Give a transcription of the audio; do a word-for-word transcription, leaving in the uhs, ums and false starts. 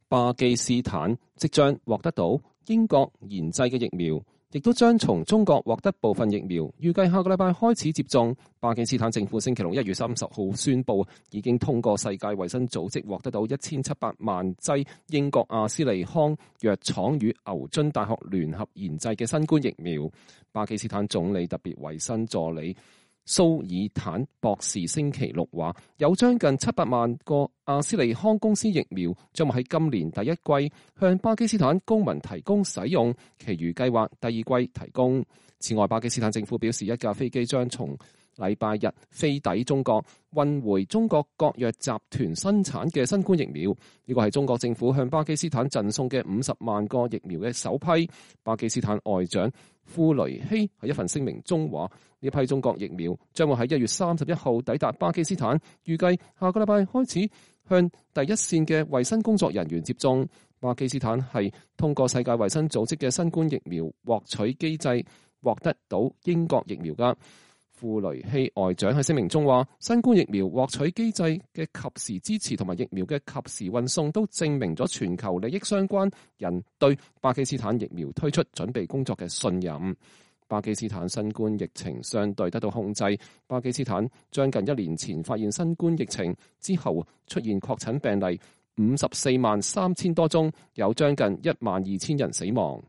巴基斯坦即將獲得到英國研製嘅疫苗，亦都將從中國獲得部分疫苗，預計下個禮拜開始接種。巴基斯坦政府星期六一月三十號宣布，已經通過世界衛生組織獲得到一千七百萬劑英國阿斯利康藥廠與牛津大學聯合研製嘅新冠疫苗。巴基斯坦總理特別衛生助理蘇爾坦博士星期六話，有將近七百萬個阿斯利康公司疫苗將會喺今年第一季向巴基斯坦公民提供使用，其餘計劃第二季提供。此外，巴基斯坦政府表示，一架飛機將從禮拜日飛抵中國，運回中國國藥集團生產嘅新冠疫苗。呢個係中國政府向巴基斯坦贈送嘅五十萬個疫苗嘅首批。巴基斯坦外長庫雷希喺一份聲明中話，呢批中國疫苗將會喺一月三十一號抵達巴基斯坦，預計下個禮拜開始向第一線嘅衛生工作人員接種。巴基斯坦係通過世界衛生組織嘅新冠疫苗獲取機制獲得到英國疫苗㗎。庫雷希外長喺聲明中話，新冠疫苗獲取機制嘅及時支持同埋疫苗嘅及時運送都證明咗全球利益相關人對巴基斯坦疫苗推出準備工作嘅信任。巴基斯坦新冠疫情相對得到控制。巴基斯坦將近一年前發現新冠疫情之後，出現確診病例五十四萬三千多宗，有將近一萬二千人死亡。